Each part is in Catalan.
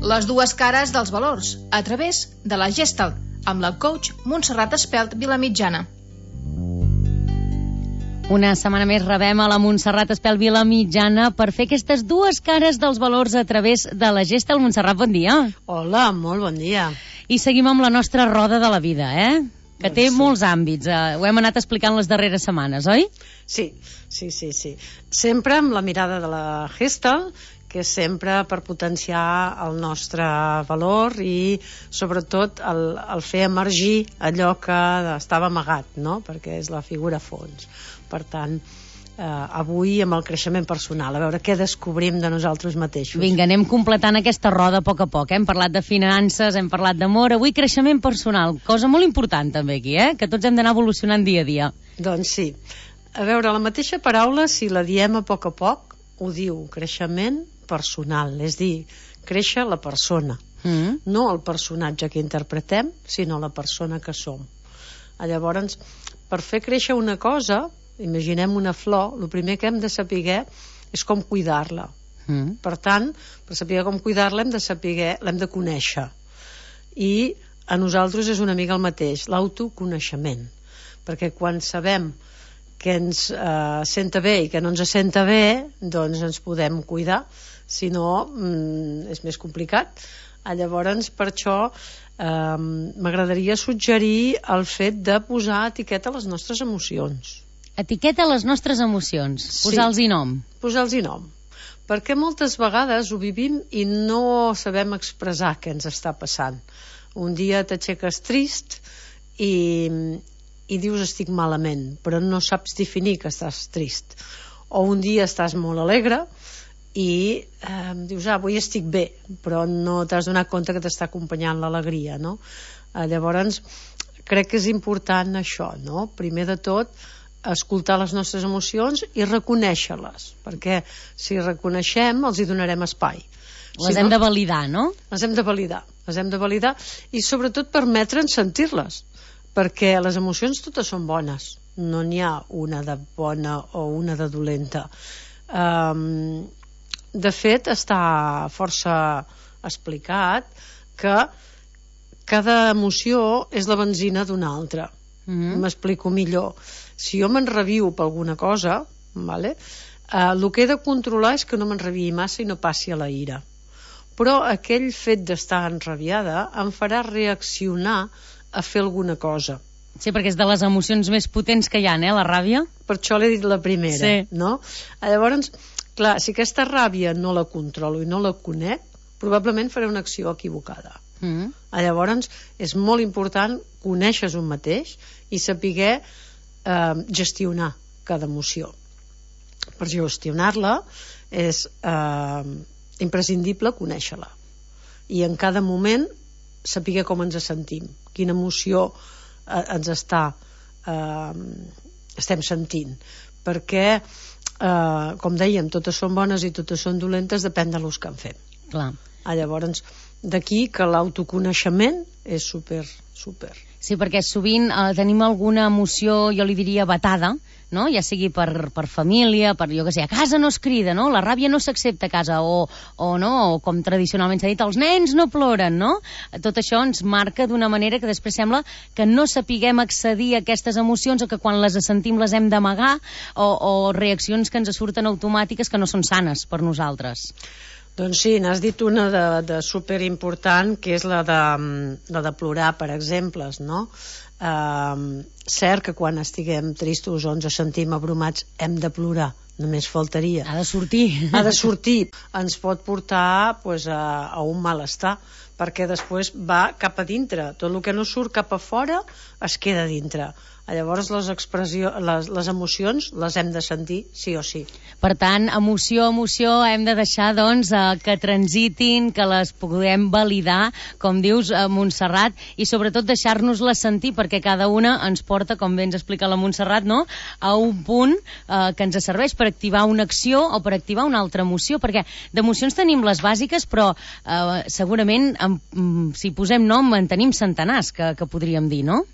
Les dues cares dels valors, a través de la Gestalt, amb la coach Montserrat Espelt Vilamitjana. Una setmana més rebem a la Montserrat Espelt Vilamitjana per fer aquestes dues cares dels valors a través de la Gestalt. Montserrat, bon dia. Hola, molt bon dia. I seguim amb la nostra roda de la vida, que té molts àmbits. Ho hem anat explicant les darreres setmanes, oi? Sí. Sempre amb la mirada de la Gestalt, que és sempre per potenciar el nostre valor i sobretot el fer emergir allò que estava amagat, no? Perquè és la figura fons. Per tant, avui amb el creixement personal, a veure què descobrim de nosaltres mateixos. Vinga, anem completant aquesta roda a poc. Hem parlat de finances, hem parlat d'amor, avui creixement personal, cosa molt important també aquí, que tots hem d'anar evolucionant dia a dia. Doncs sí. A veure, la mateixa paraula, si la diem a poc, ho diu creixement personal, és dir, créixer la persona, no el personatge que interpretem, sinó la persona que som. Llavors, per fer créixer una cosa, imaginem una flor, el primer que hem de saber és com cuidar-la. Per tant, per saber com cuidar-la l'hem de conèixer. I a nosaltres és una mica el mateix, l'autoconeixement. Perquè quan sabem que ens senta bé i que no ens senta bé, doncs ens podem cuidar. Si no, és més complicat. Llavors, per això m'agradaria suggerir el fet de posar etiqueta a les nostres emocions. Etiqueta a les nostres emocions, posar-los-hi nom. Posar-los-hi nom. Perquè moltes vegades ho vivim i no sabem expressar què ens està passant. Un dia t'aixeques trist i dius estic malament, però no saps definir que estàs trist. O un dia estàs molt alegre i dius, avui estic bé, però no t'has donat compte que t'està acompanyant l'alegria, no? Llavors, crec que és important això, no? Primer de tot, escoltar les nostres emocions i reconèixer-les, perquè si reconeixem, els hi donarem espai. Les hem de validar, no? Les hem de validar i sobretot permetre'ns sentir-les, perquè les emocions totes són bones, no n'hi ha una de bona o una de dolenta. De fet, està força explicat que cada emoció és la benzina d'una altra. M'explico millor. Si jo m'enrabio per alguna cosa, el que he de controlar és que no m'enrabiï massa i no passi a la ira. Però aquell fet d'estar enrabiada em farà reaccionar a fer alguna cosa. Sí, perquè és de les emocions més potents que hi ha, la ràbia. Per això l'he dit la primera, no? Llavors, clar, si aquesta ràbia no la controlo i no la conec, probablement faré una acció equivocada. Llavors, és molt important conèixer un mateix i saber gestionar cada emoció. Per gestionar-la és imprescindible conèixer-la. I en cada moment saber com ens sentim, quina emoció ens estem sentint. Perquè com dèiem, totes són bones i totes són dolentes, depèn de l'ús que en fem. Clar. Llavors, d'aquí que l'autoconeixement és super. Sí, perquè sovint tenim alguna emoció, jo li diria vetada, no? Ja sigui per família, per jo que sé, a casa no es crida, no? La ràbia no s'accepta a casa, o no, o com tradicionalment s'ha dit, els nens no ploren, no? Tot això ens marca d'una manera que després sembla que no sapiguem accedir a aquestes emocions o que quan les sentim les hem d'amagar o reaccions que ens surten automàtiques que no són sanes per nosaltres. Doncs sí, n'has dit una de superimportant, que és la de plorar, per exemple, no? Cert que quan estiguem tristos o ens sentim abrumats hem de plorar, només faltaria. Ha de sortir. Ens pot portar a un malestar, perquè després va cap a dintre. Tot el que no surt cap a fora es queda dintre. Llavors les emocions les hem de sentir sí o sí. Per tant, emoció, hem de deixar que transitin, que les puguem validar, com dius, Montserrat, i sobretot deixar-nos-les sentir, perquè cada una ens porta, com bé ens explica la Montserrat, no?, a un punt que ens serveix per activar una acció o per activar una altra emoció, perquè d'emocions tenim les bàsiques, però segurament si posem nom en tenim centenars, que podríem dir, no?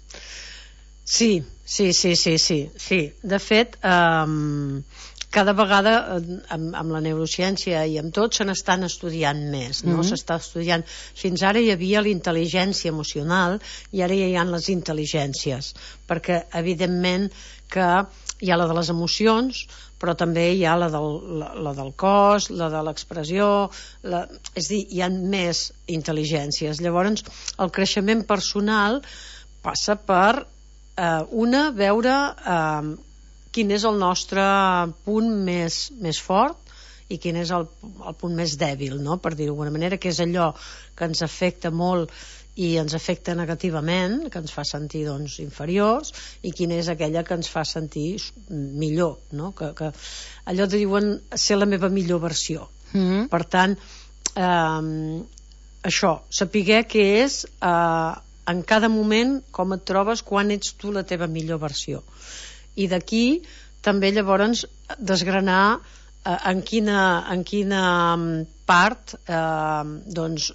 Sí. De fet, cada vegada amb la neurociència i amb tot se n'estan estudiant més, no? S'està estudiant. Fins ara hi havia la intel·ligència emocional i ara ja hi ha les intel·ligències, perquè evidentment que hi ha la de les emocions, però també hi ha la del cos, la de l'expressió, és a dir, hi ha més intel·ligències. Llavors, el creixement personal passa per veure quin és el nostre punt més fort i quin és el punt més dèbil, no? Per dir-ho d'alguna manera, que és allò que ens afecta molt i ens afecta negativament, que ens fa sentir doncs, inferiors, i quina és aquella que ens fa sentir millor, no? Que allò de diuen ser la meva millor versió. Per tant, això, sapiguer què és en cada moment, com et trobes, quan ets tu la teva millor versió. I d'aquí també llavors desgranar en quina part doncs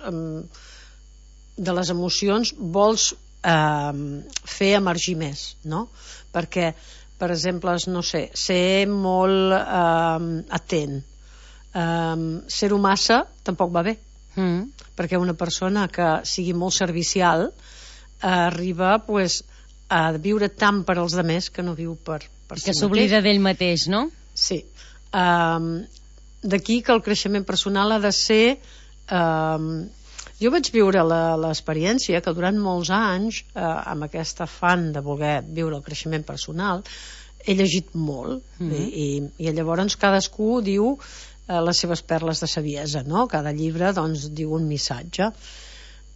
de les emocions vols fer emergir més, no? Perquè, per exemple, no sé, ser molt atent, ser-ho massa tampoc va bé, perquè una persona que sigui molt servicial arriba pues, a viure tant per als altres que no viu per si mateix. Que s'oblida d'ell mateix, no? Sí. D'aquí que el creixement personal ha de ser... Jo vaig viure l'experiència que durant molts anys, amb aquest afany de voler viure el creixement personal, he llegit molt i llavors cadascú diu les seves perles de saviesa, no? Cada llibre doncs, diu un missatge.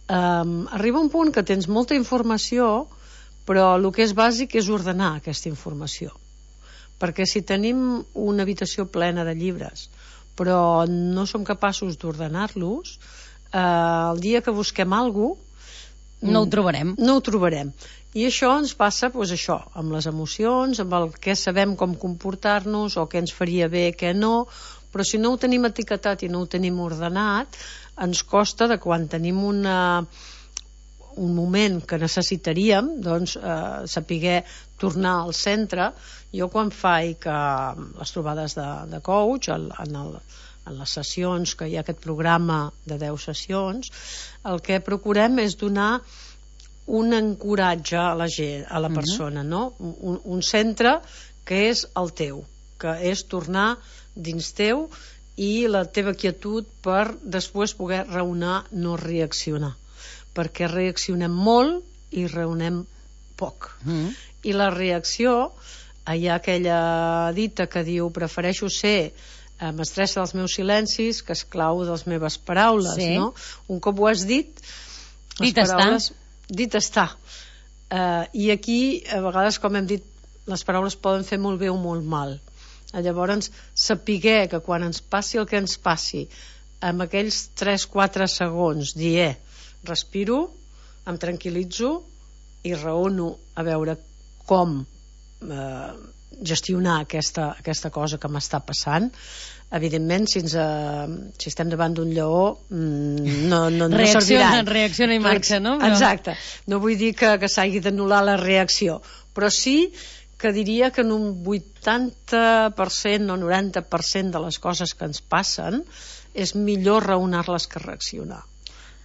Arriba un punt que tens molta informació, però el que és bàsic és ordenar aquesta informació, perquè si tenim una habitació plena de llibres però no som capaços d'ordenar-los, el dia que busquem alguna cosa no ho trobarem. I això ens passa doncs, això, amb les emocions, amb el que sabem com comportar-nos o què ens faria bé, què no, però si no ho tenim etiquetat i no ho tenim ordenat, ens costa de quan tenim un moment que necessitaríem doncs, saber tornar al centre. Jo quan faig les trobades de coach en les sessions, que hi ha aquest programa de 10 sessions, el que procurem és donar un ancoratge a la gent, a la persona, no? Un centre que és el teu, que és tornar dins teu i la teva quietud per després poder raonar, no reaccionar, perquè reaccionem molt i raonem poc. I la reacció, hi ha aquella dita que diu prefereixo ser mestressa dels meus silencis que esclau de les meves paraules, no? Un cop ho has dit, dit està. I aquí, a vegades, com hem dit, les paraules poden fer molt bé o molt mal. Llavors, sapiguer que quan ens passi el que ens passi, amb aquells 3-4 segons, dir, respiro, em tranquil·litzo i raono a veure com gestionar aquesta cosa que m'està passant. Evidentment, si estem davant d'un lleó no servirà. Reacciona i marxa, no? Exacte. No vull dir que s'hagi d'anul·lar la reacció, però sí que diria que en un 80% o 90% de les coses que ens passen és millor raonar-les que reaccionar.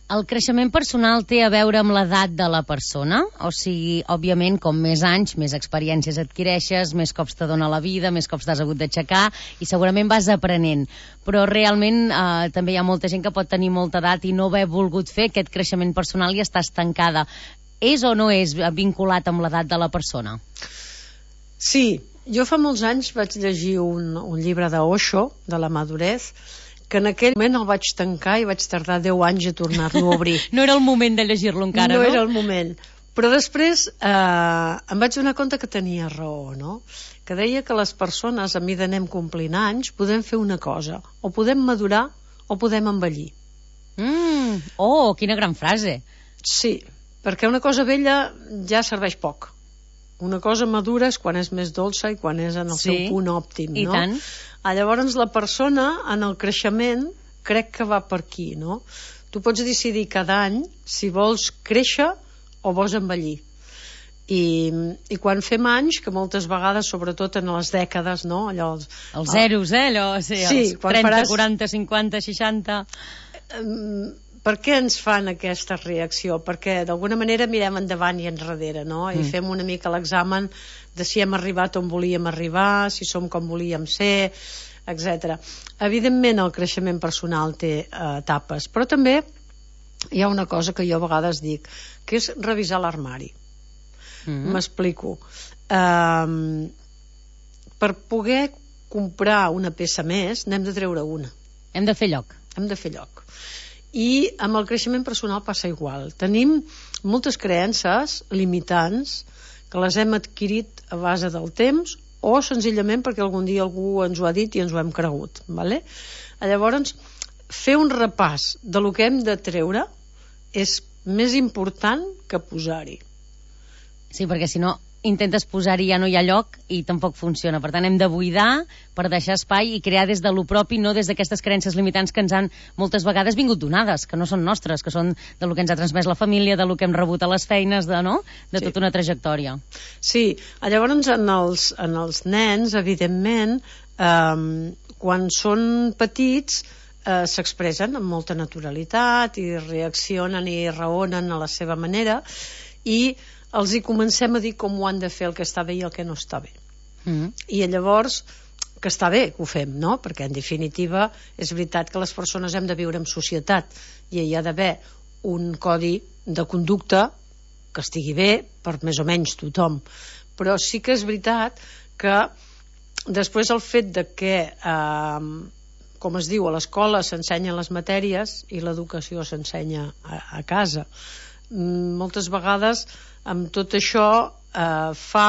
El creixement personal té a veure amb l'edat de la persona? O sigui, òbviament, com més anys, més experiències adquireixes, més cops te dona la vida, més cops t'has hagut d'aixecar i segurament vas aprenent. Però realment també hi ha molta gent que pot tenir molta edat i no haver volgut fer aquest creixement personal i està estancada. És o no és vinculat amb l'edat de la persona? Sí, jo fa molts anys vaig llegir un llibre d'Osho, de la madurez, que en aquell moment el vaig tancar i vaig tardar 10 anys a tornar-lo a obrir. No era el moment de llegir-lo encara, no? No era el moment. Però després em vaig donar compte que tenia raó, no? Que deia que les persones, a mesura que anem complint anys, podem fer una cosa. O podem madurar o podem envellir. Oh, quina gran frase. Sí, perquè una cosa vella ja serveix poc. Una cosa madura és quan és més dolça i quan és en el seu punt òptim, no? I tant. Llavors la persona en el creixement crec que va per aquí, no? Tu pots decidir cada any si vols créixer o vols envellir. I quan fem anys, que moltes vegades, sobretot en les dècades, no? Allò, els zeros, allò, sí, els 30, 40, 50, 60... Per què ens fan aquesta reacció? Perquè d'alguna manera mirem endavant i enrere, no? I fem una mica l'examen de si hem arribat on volíem arribar, si som com volíem ser, etc. Evidentment el creixement personal té etapes, però també hi ha una cosa que jo a vegades dic, que és revisar l'armari. M'explico. Per poder comprar una peça més n'hem de treure una. Hem de fer lloc. Hem de fer lloc. I amb el creixement personal passa igual. Tenim moltes creences limitants que les hem adquirit a base del temps o senzillament perquè algun dia algú ens ho ha dit i ens ho hem cregut, vale? Llavors, fer un repàs de lo que hem de treure és més important que posar-hi. Sí, perquè si no intentes posar-hi ja no hi ha lloc i tampoc funciona. Per tant, hem de buidar per deixar espai i crear des de lo propi, no des d'aquestes creences limitants que ens han moltes vegades vingut donades, que no són nostres, que són de lo que ens ha transmès la família, de lo que hem rebut a les feines, de tota una trajectòria. Sí, llavors en els nens, evidentment, quan són petits, s'expressen amb molta naturalitat i reaccionen i raonen a la seva manera i els hi comencem a dir com ho han de fer, el que està bé i el que no està bé. I llavors, que està bé que ho fem, no? Perquè en definitiva és veritat que les persones hem de viure en societat i hi ha d'haver un codi de conducta que estigui bé per més o menys tothom. Però sí que és veritat que després el fet de que com es diu, a l'escola s'ensenyen les matèries i l'educació s'ensenya a casa. Moltes vegades amb tot això fa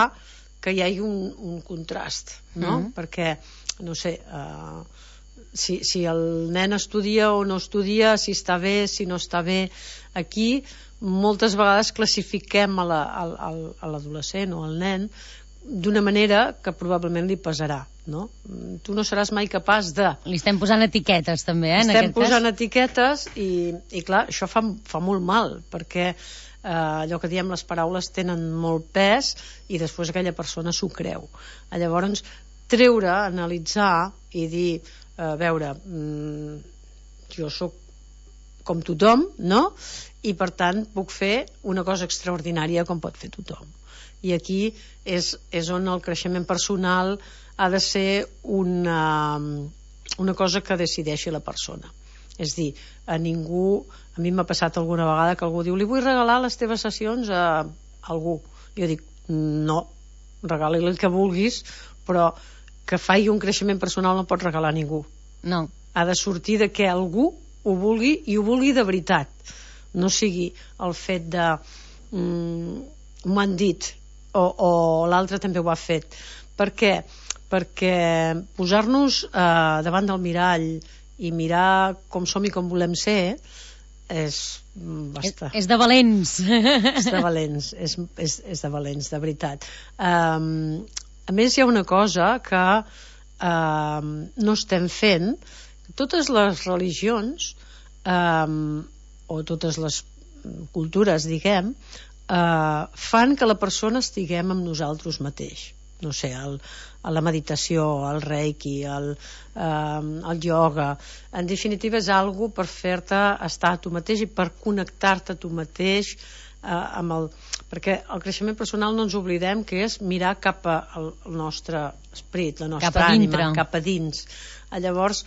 que hi hagi un contrast, no? Perquè, no sé, si el nen estudia o no estudia, si està bé, si no està bé, aquí moltes vegades classifiquem a l'adolescent o al nen d'una manera que probablement li pesarà, no? Tu no seràs mai capaç de... Li estem posant etiquetes també, estem posant etiquetes i clar, això fa molt mal, perquè allò que diem, les paraules tenen molt pes i després aquella persona s'ho creu. Llavors, treure, analitzar i dir, a veure, jo sóc com tothom, no? I per tant puc fer una cosa extraordinària com pot fer tothom. I aquí és on el creixement personal ha de ser una cosa que decideixi la persona. És dir, a mi m'ha passat alguna vegada que algú diu, li vull regalar les teves sessions a algú. Jo dic, no, regali-li el que vulguis, però que faci un creixement personal no pot regalar a ningú. No. Ha de sortir de que algú ho vulgui i ho vulgui de veritat. No sigui el fet de m'ho han dit o l'altre també ho ha fet. Per què? Perquè posar-nos davant del mirall i mirar com som i com volem ser és bastant... És de valents. És de valents, és de valents, de veritat. A més, hi ha una cosa que no estem fent. Totes les religions o totes les cultures, diguem, fan que la persona estiguem amb nosaltres mateix. No sé, la meditació, el reiki, el ioga, en definitiva és algo per fer-te estar a tu mateix i per connectar-te a tu mateix perquè el creixement personal no ens oblidem que és mirar cap al nostre esperit, la nostra ànima, cap a dins. Llavors,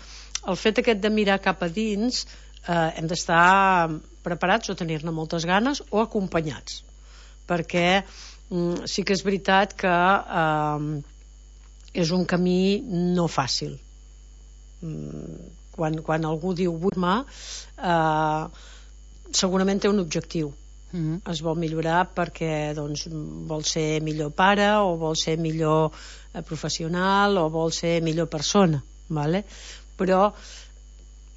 el fet aquest de mirar cap a dins hem d'estar preparats o tenir-ne moltes ganes o acompanyats, perquè sí que és veritat que és un camí no fàcil. Quan algú diu vull-me, segurament té un objectiu. Es vol millorar perquè vol ser millor pare o vol ser millor professional o vol ser millor persona, vale? Però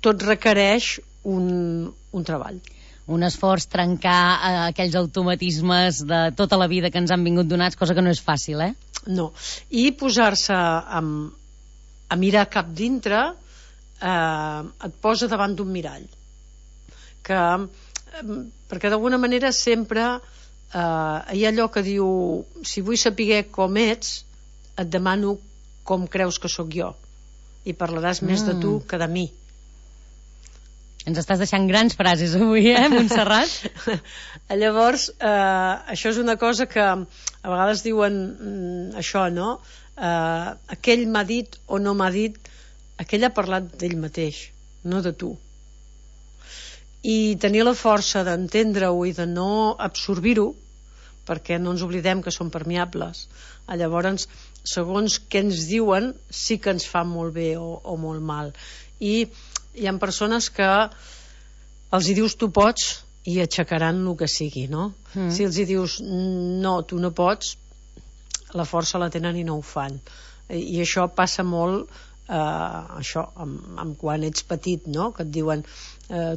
tot requereix un treball, un esforç, trencar aquells automatismes de tota la vida que ens han vingut donats, cosa que no és fàcil, No, i posar-se a mirar cap dintre et posa davant d'un mirall perquè d'alguna manera sempre hi ha allò que diu, si vull saber com ets, et demano com creus que sóc jo, i parlaràs més de tu que de mi. Ens estàs deixant grans frases avui, Montserrat? Llavors, això és una cosa que a vegades diuen això, no? Aquell m'ha dit o no m'ha dit, aquell ha parlat d'ell mateix, no de tu. I tenir la força d'entendre-ho i de no absorbir-ho, perquè no ens oblidem que són permeables. Llavors, segons què ens diuen, sí que ens fa molt bé o molt mal. I hi ha persones que els hi dius tu pots i aixecaran el que sigui, no? Si els hi dius no, tu no pots, la força la tenen i no ho fan. I això passa molt quan ets petit, no? Que et diuen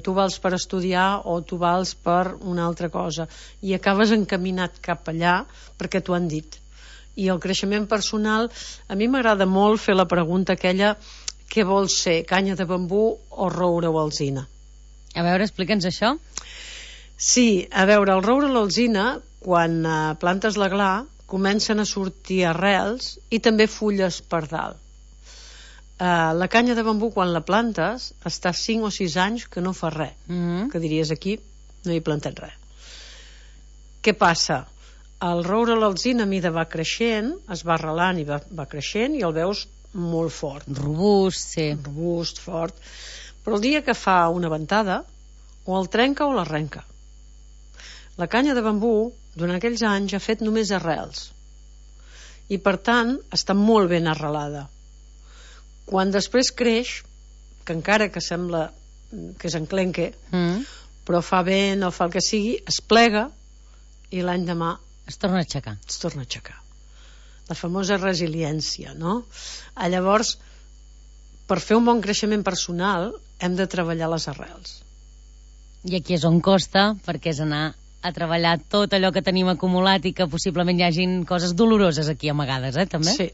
tu vals per estudiar o tu vals per una altra cosa, i acabes encaminat cap allà perquè t'ho han dit. I el creixement personal, a mi m'agrada molt fer la pregunta aquella: què vols ser, canya de bambú o roure o alzina? A veure, explica'ns això. Sí, a veure, el roure o l'alzina, quan plantes la gla, comencen a sortir arrels i també fulles per dalt. La canya de bambú, quan la plantes, està 5 o 6 anys que no fa res, que diries aquí no hi he plantat res. Què passa? El roure o l'alzina a mida va creixent, es va arrelant i va creixent, i el veus molt fort, robust, sí, robust, fort, però el dia que fa una ventada o el trenca o l'arrenca. La canya de bambú durant aquells anys ha fet només arrels i per tant està molt ben arrelada. Quan després creix, que encara que sembla que és enclenque, però fa vent o fa el que sigui, es plega i l'any demà es torna a aixecar. Es torna a aixecar. La famosa resiliència, no? Llavors, per fer un bon creixement personal hem de treballar les arrels. I aquí és on costa, perquè és anar a treballar tot allò que tenim acumulat i que possiblement hi hagin coses doloroses aquí amagades, també?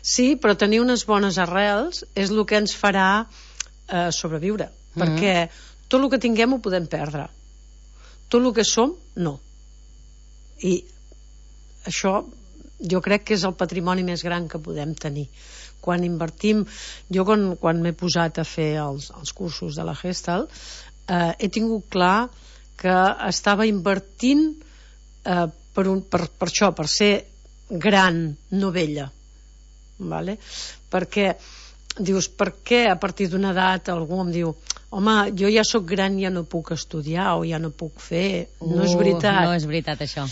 Sí, però tenir unes bones arrels és el que ens farà sobreviure, perquè tot el que tinguem ho podem perdre. Tot el que som, no. I això jo crec que és el patrimoni més gran que podem tenir. Quan invertim, jo quan m'he posat a fer els cursos de la Gestalt, he tingut clar que estava invertint per això, per ser gran, no vella, vale? Perquè dius, per què a partir d'una edat algú em diu, home, jo ja sóc gran, ja no puc estudiar o ja no puc fer? No és veritat. No és veritat, això.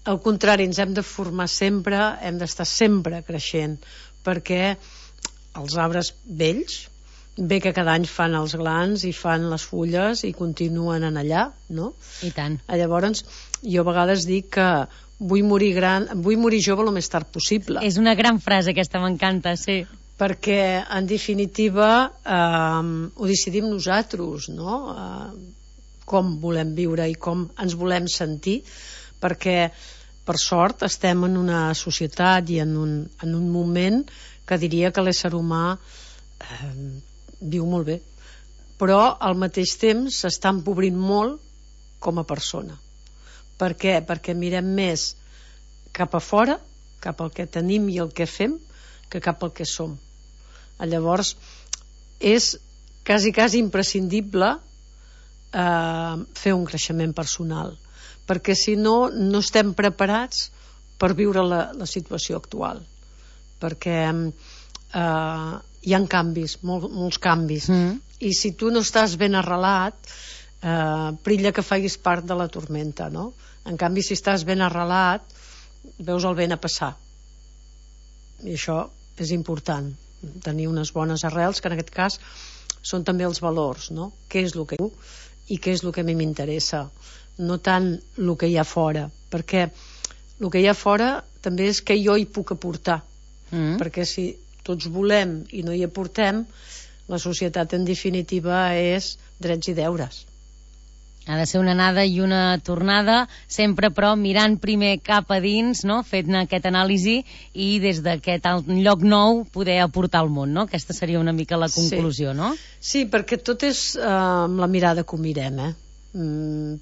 Al contrari, ens hem de formar sempre, hem d'estar sempre creixent, perquè els arbres vells, bé que cada any fan els glans i fan les fulles i continuen en allà, no? I tant. Llavors, jo a vegades dic que vull morir jove el més tard possible. És una gran frase aquesta, m'encanta, sí. Perquè, en definitiva, ho decidim nosaltres, no? Com volem viure i com ens volem sentir, perquè, per sort, estem en una societat i en un moment que diria que l'ésser humà viu molt bé, però al mateix temps s'està empobrint molt com a persona. Per què? Perquè mirem més cap a fora, cap al que tenim i el que fem, que cap al que som. Llavors és quasi imprescindible fer un creixement personal, perquè si no, no estem preparats per viure la situació actual, perquè hi ha canvis, molts canvis, i si tu no estàs ben arrelat, perilla que facis part de la tormenta, no? En canvi, si estàs ben arrelat, veus el vent a passar, i això és important, tenir unes bones arrels, que en aquest cas són també els valors, no? Què és el que diu i què és el que a mi m'interessa, no tant el que hi ha fora, perquè el que hi ha fora també és que jo hi puc aportar, perquè si tots volem i no hi aportem, la societat en definitiva és drets i deures. Ha de ser una anada i una tornada, sempre però mirant primer cap a dins, no? Fent aquesta anàlisi i des d'aquest lloc nou poder aportar al món, no? Aquesta seria una mica la conclusió, no? Sí, perquè tot és amb la mirada que ho mirem,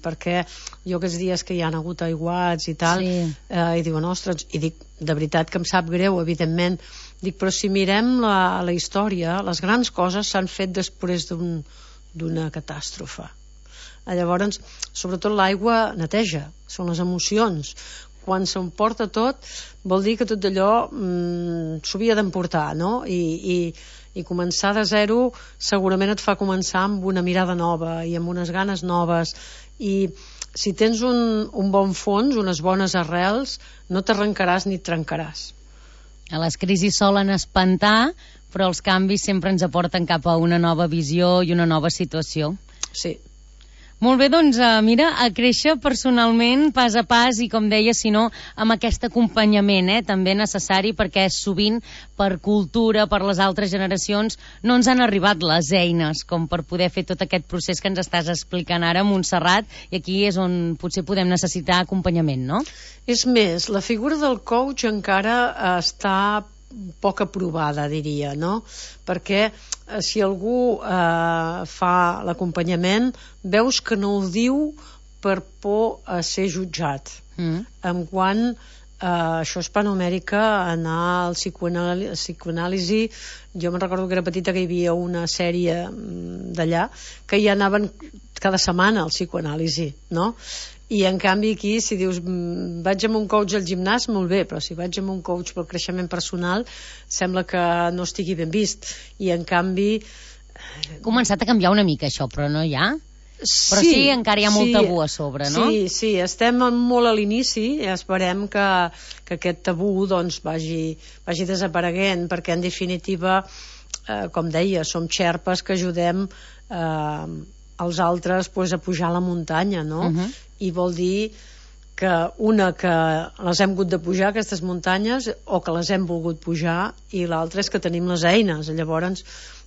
perquè jo aquests dies que hi ha hagut aiguats i tal, i diuen, ostres, i dic, de veritat que em sap greu, evidentment, dic, però si mirem la història, les grans coses s'han fet després d'una catàstrofe. Llavors, sobretot l'aigua neteja, són les emocions. Quan s'emporta tot, vol dir que tot allò s'havia d'emportar, no? I començar de zero segurament et fa començar amb una mirada nova i amb unes ganes noves, i si tens un bon fons, unes bones arrels, no t'arrencaràs ni et trencaràs. Les crisis solen espantar, però els canvis sempre ens aporten cap a una nova visió i una nova situació. Sí. Molt bé, doncs, mira, a créixer personalment, pas a pas, i com deia, si no, amb aquest acompanyament, també necessari, perquè sovint, per cultura, per les altres generacions, no ens han arribat les eines com per poder fer tot aquest procés que ens estàs explicant ara, Montserrat, i aquí és on potser podem necessitar acompanyament, no? És més, la figura del coach encara està poc aprovada, diria, no? Perquè si algú fa l'acompanyament, veus que no ho diu per por a ser jutjat. En quant això a Hispanoamèrica, anar al psicoanàlisi, jo me'n recordo que era petita que hi havia una sèrie d'allà que hi anaven cada setmana al psicoanàlisi, no? I en canvi aquí, si dius vaig amb un coach al gimnàs, molt bé, però si vaig amb un coach pel creixement personal sembla que no estigui ben vist. I en canvi... Ha començat a canviar una mica això, però no hi ha? Però sí, encara hi ha molt tabú a sobre, no? Sí, estem molt a l'inici i esperem que aquest tabú doncs vagi desapareguent, perquè en definitiva, com deia, som xerpes que ajudem els altres a pujar a la muntanya, no? I vol dir que les hem hagut de pujar, aquestes muntanyes, o que les hem volgut pujar, i l'altra és que tenim les eines. Llavors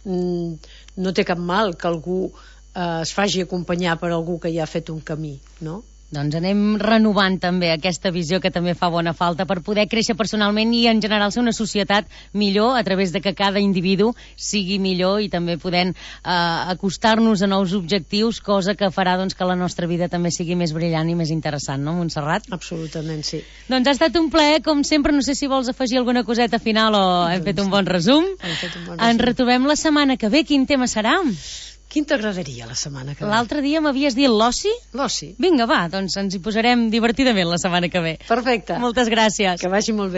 no té cap mal que algú es faci acompanyar per algú que ja ha fet un camí, no? Doncs anem renovant també aquesta visió que també fa bona falta per poder créixer personalment i en general ser una societat millor a través de que cada individu sigui millor i també podent acostar-nos a nous objectius, cosa que farà doncs, que la nostra vida també sigui més brillant i més interessant, no, Montserrat? Absolutament, sí. Doncs ha estat un plaer, com sempre. No sé si vols afegir alguna coseta final o hem fet un bon resum. Ens retrobem la setmana que ve. Quin tema serà? Quin t'agradaria la setmana que ve? L'altre dia m'havies dit l'oci? L'oci. Vinga, va, doncs ens hi posarem divertidament la setmana que ve. Perfecte. Moltes gràcies. Que vagi molt bé.